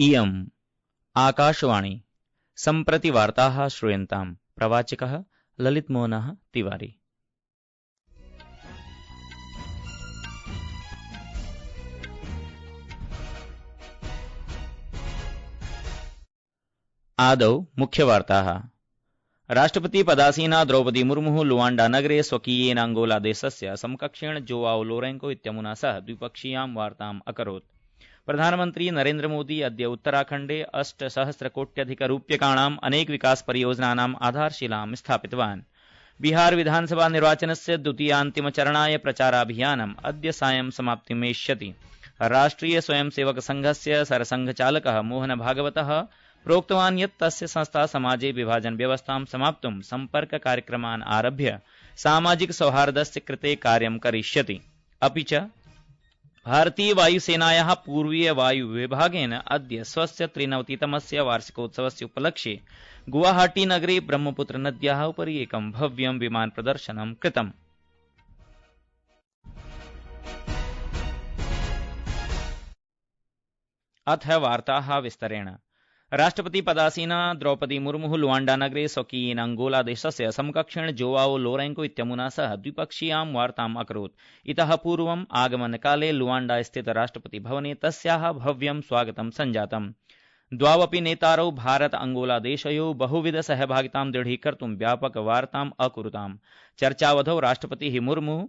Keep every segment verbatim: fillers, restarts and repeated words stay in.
इयम् आकाशवाणी सम्प्रति वार्ताः श्रूयन्ताम्। प्रवाचकः ललितमोहनः तिवारी। आदौ मुख्यवार्ताः। राष्ट्रपति पदासीना द्रौपदी मुर्मुः लुआण्डा नगरे स्वकीयेन अंगोला देशस्य समकक्षेण जोआओ लोरेंको इत्यमुना सह द्विपक्षीयां वार्ताम् अकरोत्। प्रधानमन्त्री नरेन्द्र मोदी अद्य उत्तराखण्डे अष्टसहस्रकोट्यधिकरूप्यकाणाम् अनेक विकास परियोजनानाम् आधारशिलां स्थापितवान्। बिहार विधानसभा निर्वाचनस्य द्वितीयान्तिमचरणाय प्रचाराभियानम् अद्य सायं समाप्तिमेष्यति। राष्ट्रिय स्वयंसेवक संघस्य सरसंघचालकः मोहन भागवतः प्रोक्तवान् यत् तस्य संस्था समाजे विभाजन व्यवस्थां समाप्तुं सम्पर्क कार्यक्रमान् आरभ्य सामाजिक सौहार्दस्य कृते कार्यं करिष्यति। अपि च भारतीय वायुसेनायाः पूर्वीय वायु विभागेन अद्य स्वस्य त्रिनवतितमस्य वार्षिकोत्सवस्य उपलक्ष्ये गुवाहाटी नगरे ब्रह्मपुत्र नद्याः उपरि एकं भव्यं विमान प्रदर्शनं कृतम्। अथ वार्ताः विस्तरेण। राष्ट्रपति पदासीना द्रौपदी मुर्मुः लुआण्डा नगरे स्वकीयेन अंगोला देशस्य समकक्षेण जोआओ लोरेंको इत्यमुना सह द्विपक्षीयां वार्ताम् अकरोत्। इतः पूर्वम् आगमनकाले लुआण्डा स्थित राष्ट्रपति भवने तस्याः भव्यं स्वागतं सञ्जातम्। द्वावपि नेतारौ भारत अंगोला देशयोः बहुविध सहभागितां दृढीकर्तुं व्यापक वार्ताम् अकुरुताम्। चर्चावधौ राष्ट्रपतिः मुर्मुः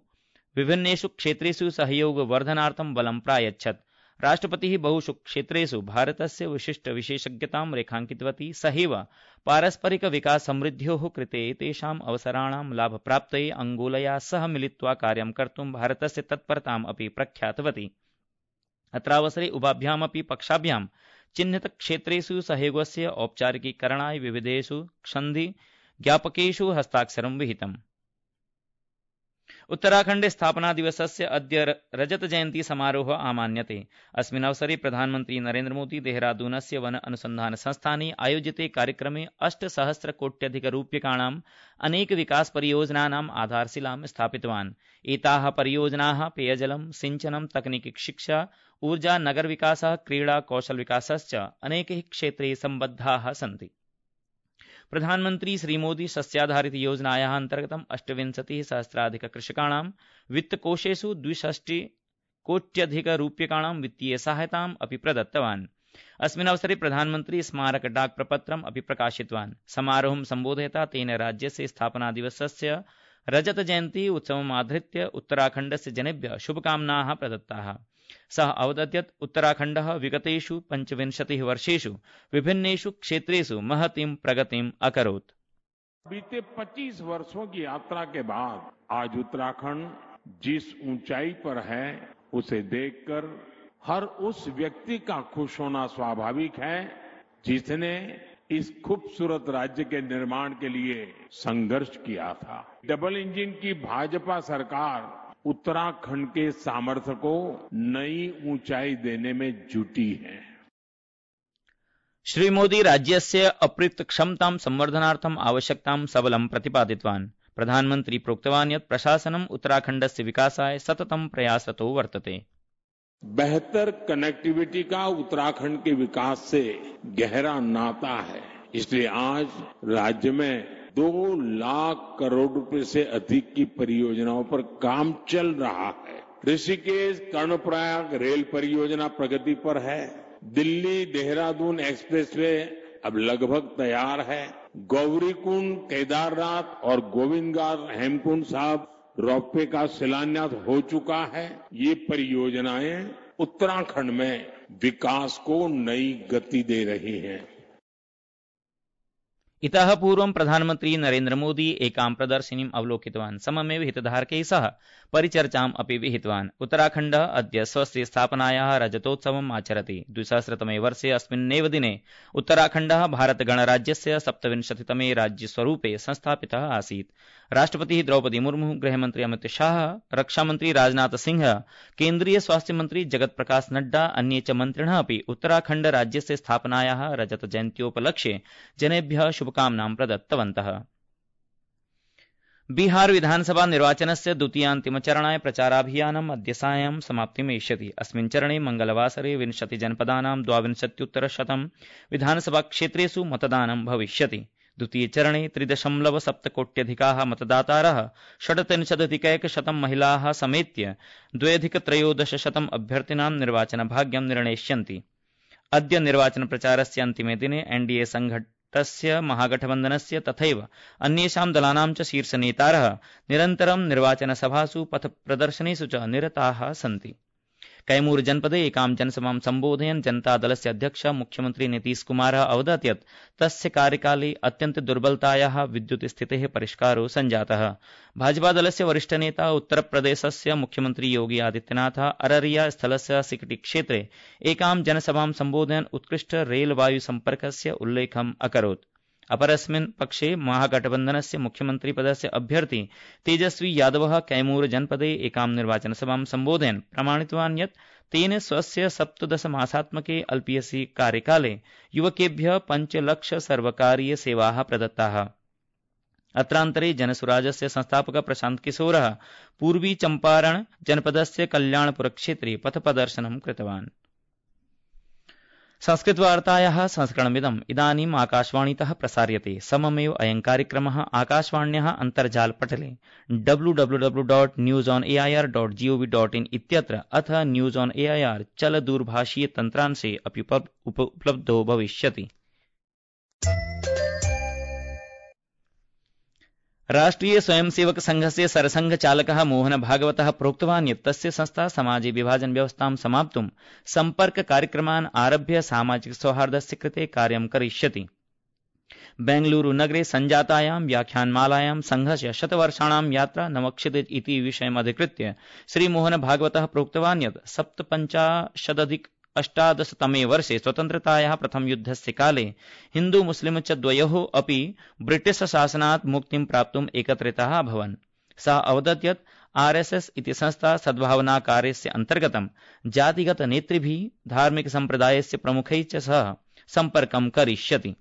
विभिन्नेषु क्षेत्रेषु सहयोग वर्धनार्थं बलं प्रायच्छत्। राष्ट्रपतिः बहुषु क्षेत्रेषु भारतस्य विशिष्ट विशेषज्ञतां रेखाङ्कितवती। सहैव पारस्परिक विकास समृद्ध्योः कृते तेषाम् अवसराणां लाभप्राप्तये अंगोलया सह मिलित्वा कार्यं कर्तुं भारतस्य तत्परताम् अपि प्रख्यातवती। अत्रावसरे उभाभ्यामपि पक्षाभ्यां चिह्नित क्षेत्रेषु सहयोगस्य औपचारिकीकरणाय विविधेषु सन्धि ज्ञापकेषु हस्ताक्षरं विहितम्। उत्तराखण्डे स्थापना दिवसस्य अद्य रजत जयन्ती समारोहः आमान्यते। अस्मिन् अवसरे प्रधानमन्त्री नरेन्द्र मोदी देहरादूनस्य वन अनुसन्धान संस्थाने आयोजिते कार्यक्रमे अष्टसहस्रकोट्यधिकरूप्यकाणाम् अनेक विकास परियोजनानाम् आधारशिलां स्थापितवान्। एताः परियोजनाः पेयजलं, सिंचनं, तकनीकी शिक्षा, ऊर्जा, नगर विकासः, क्रीडा, कौशल विकासश्च अनेकैः क्षेत्रैः सम्बद्धाः सन्ति। प्रधानमन्त्री श्रीमोदी सस्याधारित योजनायाः अन्तर्गतम् अष्टविंशतिः सहस्राधिक कृषकाणां वित्तकोषेषु द्विषष्टिः कोट्यधिकरूप्यकाणां वित्तीय सहायताम् अपि प्रदत्तवान्। अस्मिन् अवसरे प्रधानमन्त्री स्मारक डाक प्रपत्रम् अपि प्रकाशितवान्। समारोहं सम्बोधयता तेन राज्यस्य स्थापना दिवसस्य रजत जयन्ती उत्सवम् आधृत्य उत्तराखण्डस्य जनेभ्यः शुभकामनाः प्रदत्ताः। सः अवदत् यत् उत्तराखण्डः विगतेषु पञ्चविंशतिः वर्षेषु विभिन्नेषु क्षेत्रेषु महतीं प्रगतिम् अकरोत्। बीते पच्चीस वर्षों की यात्रा के बाद आज उत्तराखंड जिस ऊंचाई पर है उसे देखकर हर उस व्यक्ति का खुश होना स्वाभाविक है जिसने इस खूबसूरत राज्य के निर्माण के लिए संघर्ष किया था। डबल इंजन की भाजपा सरकार उत्तराखंड के सामर्थ्य को नई ऊंचाई देने में जुटी है। श्री मोदी राज्यस्य अप्रयुक्त क्षमतां संवर्धनार्थम् आवश्यकतां सबलं प्रतिपादितवान्। प्रधानमन्त्री प्रोक्तवान् यत् प्रशासनम् उत्तराखण्डस्य विकासाय सततं प्रयासरतो वर्तते। बेहतर कनेक्टिविटी का उत्तराखंड के विकास से गहरा नाता है, इसलिए आज राज्य में दो लाख करोड़ रुपए से अधिक की परियोजनाओं पर काम चल रहा है। ऋषिकेश कर्णप्रयाग रेल परियोजना प्रगति पर है। दिल्ली देहरादून एक्सप्रेसवे अब लगभग तैयार है। गौरीकुंड, केदारनाथ और गोविंदघाट हेमकुंड साहब रोपवे का शिलान्यास हो चुका है। ये परियोजनाएं उत्तराखंड में विकास को नई गति दे रही हैं। इतः पूर्वं प्रधानमन्त्री नरेन्द्र मोदी एकां प्रदर्शिनीम् अवलोकितवान्। सममेव हितधारकैः सह परिचर्चाम् अपि विहितवान्। उत्तराखण्डः अद्य स्वस्य स्थापनायाः रजतोत्सवम् आचरति। द्विसहस्रतमे वर्षे अस्मिन्नेव दिने उत्तराखण्डः भारतगणराज्यस्य सप्तविंशतितमे राज्यस्वरूपे संस्थापितः आसीत्। राष्ट्रपतिः द्रौपदी मुर्मुः, गृहमन्त्री अमित शाह, रक्षामन्त्री राजनाथ सिंह, केन्द्रीय स्वास्थ्य मन्त्री जगत प्रकाश नड्डा, अन्ये च मन्त्रिणः अपि उत्तराखण्ड राज्यस्य स्थापनायाः रजत जयन्त्योपलक्ष्ये जनेभ्यः शुभकामनां प्रदत्तवन्तः। बिहार विधानसभा निर्वाचनस्य द्वितीयान्तिमचरणाय प्रचाराभियानम् अद्य सायं समाप्तिमेष्यति। अस्मिन् चरणे मंगलवासरे विंशति जनपदानां द्वाविंशत्युत्तर शतं विधानसभाक्षेत्रेषु मतदानं भविष्यति। द्वितीयचरणे त्रिदशमलव सप्तकोट्यधिकाः मतदातारः षड्त्रिंशदधिकैकशतं महिलाः समेत्य द्व्यधिकत्रयोदशशतम् अभ्यर्थिनां निर्वाचनभाग्यं निर्णेष्यन्ति। अद्य निर्वाचनप्रचारस्य अन्तिमे दिने एनडीए संघटस्य महागठबन्धनस्य तथैव अन्येषां दलानां च शीर्षनेतारः निरन्तरं निर्वाचनसभासु पथप्रदर्शनेषु च निरताः सन्ति। कैमूर जनपदे एकां जनसभां सम्बोधयन् जनतादलस्य अध्यक्षः मुख्यमन्त्री नीतीश कुमारः अवदत् यत् तस्य कार्यकाले अत्यन्त दुर्बलतायाः विद्युत् स्थितेः परिष्कारो सञ्जातः। भाजपादलस्य वरिष्ठनेता उत्तरप्रदेशस्य मुख्यमन्त्री योगी आदित्यनाथः अररिया स्थलस्य सिकटी क्षेत्रे एकां जनसभां सम्बोधयन् उत्कृष्ट रेलवायु सम्पर्कस्य उल्लेखम् अकरोत्। अपरस्मिन् पक्षे महागठबन्धनस्य मुख्यमन्त्रिपदस्य अभ्यर्थी तेजस्वी यादवः कैमूर जनपदे एकां निर्वाचनसभां सम्बोधयन् प्रमाणितवान् यत् तेन स्वस्य सप्तदशमासात्मके अल्पीयसि कार्यकाले युवकेभ्यः पञ्चलक्ष सर्वकारीय सेवाः प्रदत्ताः। अत्रान्तरे जनसुराजस्य संस्थापकः प्रशान्त किशोरः पूर्वी चम्पारण जनपदस्य कल्याणपुरक्षेत्रे पथप्रदर्शनं कृतवान्। संस्कृतवार्तायाः संस्करणमिदम् इदानीम् आकाशवाणीतः प्रसार्यते। सममेव अयं कार्यक्रमः आकाशवाण्याः अन्तर्जालपटले W W W dot news on AIR dot GOV dot in इत्यत्र अथ न्यूज ऑन एआईआर चलदूरभाषीय तन्त्रांशे अपि उपलब्धो भविष्यति। राष्ट्रिय स्वयंसेवक संघस्य सरसंघ चालकः मोहन भागवतः प्रोक्तवान् यत् तस्य संस्था समाजे विभाजन व्यवस्थां समाप्तुं सम्पर्क कार्यक्रमान् आरभ्य सामाजिक सौहार्दस्य कृते कार्यं करिष्यति। बेंगलुरु नगरे सञ्जातायां व्याख्यानमालायां संघस्य शतवर्षाणां यात्रा नवक्षित इति विषयमधिकृत्य श्रीमोहन भागवतः प्रोक्तवान् यत् सप्तपञ्चाशदधिक अष्टादशतमे वर्षे स्वतन्त्रतायाः प्रथमयुद्धस्य काले हिन्दू मुस्लिम च द्वयोः अपि ब्रिटिश शासनात् मुक्तिं प्राप्तुम् एकत्रिताः अभवन्। सः अवदत् यत् आरएसएस इति संस्था सद्भावनाकार्यस्य अन्तर्गतं जातिगत नेतृभिः धार्मिक सम्प्रदायस्य प्रमुखैः च सह सम्पर्कं करिष्यति।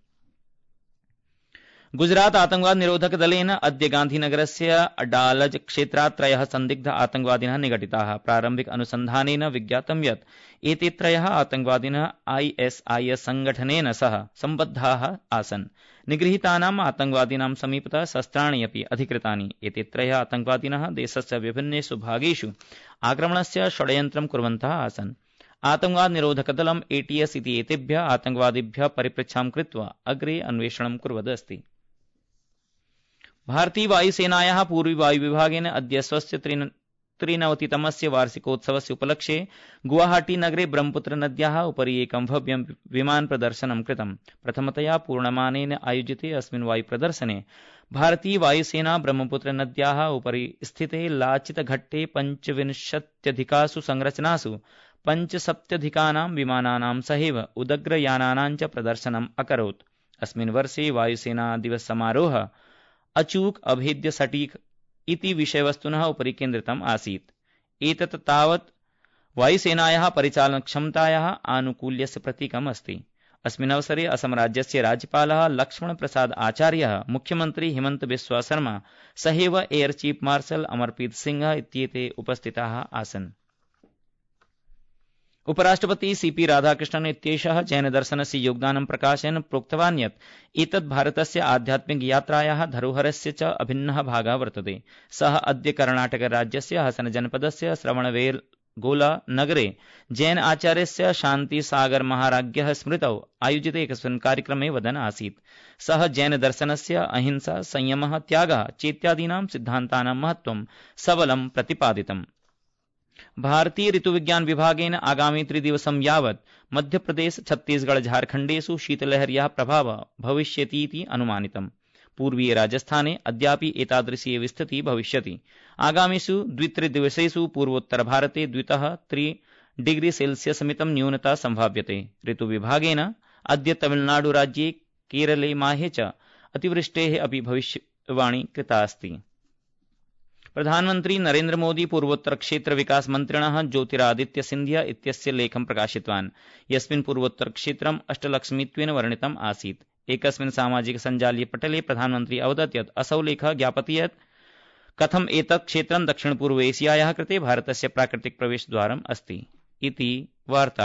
गुजरात आतंकवाद निरोधक दलेन अद्य गांधीनगरस्य अडालज क्षेत्रात् त्रयः सन्दिग्ध आतंकवादिनः निगडिताः। प्रारम्भिक अनुसन्धानेन विज्ञातं यत् एते त्रयः आतंकवादिनः आईएसआईएस संघटनेन सह सम्बद्धाः आसन्। निगृहीतानाम् आतंकवादिनां समीपतः शस्त्राणि अपि अधिकृतानि। एते त्रयः आतंकवादिनः देशस्य विभिन्नेषु भागेषु आक्रमणस्य षड्यन्त्रं कुर्वन्तः आसन्। आतंकवाद निरोधक दलम् एटीएस इति एतेभ्यः आतंकवादिभ्यः परिपृच्छां कृत्वा अग्रे अन्वेषणं कुर्वदस्ति। भारतीय वायुसेनायाः पूर्वी वायुविभागेन अद्य स्वस्य त्रिनवतितमस्य वार्षिकोत्सवस्य उपलक्ष्ये गुवाहाटी नगरे ब्रह्मपुत्र नद्याः उपरि एकं भव्यं विमान प्रदर्शनं कृतम्। प्रथमतया पूर्णमानेन आयोजिते अस्मिन् वायुप्रदर्शने भारतीय वायुसेना ब्रह्मपुत्र नद्याः उपरि स्थिते लाचितघट्टे पञ्चविंशत्यधिकासु संरचनासु पञ्चसप्तत्यधिकानां विमानानां सहैव उदग्रयानानां च प्रदर्शनम् अकरोत्। अस्मिन् वर्षे वायुसेना दिवस समारोहः अचूक अभेद्य सटीक इति विषयवस्तुनः उपरि केन्द्रितम् आसीत्। एतत् तावत् वायुसेनायाः परिचालनक्षमतायाः आनुकूल्यस्य प्रतीकम् अस्ति। अस्मिन् अवसरे असम राज्यस्य राज्यपालः लक्ष्मण प्रसाद आचार्यः, मुख्यमन्त्री हिमन्त बिस्वा शर्मा सहैव air chief marshal Amarpreet Singh इत्येते उपस्थिताः आसन्। उपराष्ट्रपति सीपी राधाकृष्णन् इत्येषः जैन दर्शनस्य योगदानं प्रकाशयन् प्रोक्तवान् यत् एतत् भारतस्य आध्यात्मिक यात्रायाः धरोहरस्य च अभिन्नः भागः वर्तते। सः अद्य कर्णाटक राज्यस्य हसन जनपदस्य श्रवणबेलगोला नगरे जैन आचार्यस्य शान्तिसागर महाराज्ञः स्मृतौ आयोजिते एकस्मिन् कार्यक्रमे वदन् आसीत्। सः जैन दर्शनस्य अहिंसा, संयमः, त्यागः चेत्यादीनां सिद्धान्तानां महत्त्वं सबलं प्रतिपादितम्। भारतीय ऋतुविज्ञान विभागेन आगामि त्रिदिवसं यावत् मध्यप्रदेश, छत्तीसगढ़, झारखण्डेषु शीतलहर्याः प्रभावः भविष्यतीति अनुमानितम्। पूर्वीय राजस्थाने अद्यापि एतादृशी एव स्थितिः भविष्यति। आगामिषु द्वित्रिदिवसेषु पूर्वोत्तर भारते द्वितः त्रि डिग्री सेल्सियस् मितं न्यूनता संभाव्यते। ऋतुविभागेन अद्य तमिलनाडु राज्ये, केरले, माहे च अतिवृष्टेः अपि भविष्यवाणी कृता अस्ति। प्रधानमन्त्री नरेन्द्र मोदी पूर्वोत्तर क्षेत्र विकास मन्त्रिणः ज्योतिरादित्य सिन्धिया इत्यस्य लेखं प्रकाशितवान्, यस्मिन् पूर्वोत्तर क्षेत्रम् अष्टलक्ष्मित्वेन वर्णितम् आसीत्। एकस्मिन् सामाजिक सञ्जालीय पटले प्रधानमन्त्री अवदत् यत् असौ लेखः ज्ञापयति यत् कथम् एतत् क्षेत्रं दक्षिण पूर्व एशियायाः कृते भारतस्य प्राकृतिक प्रवेशद्वारम् अस्ति इति वार्ता।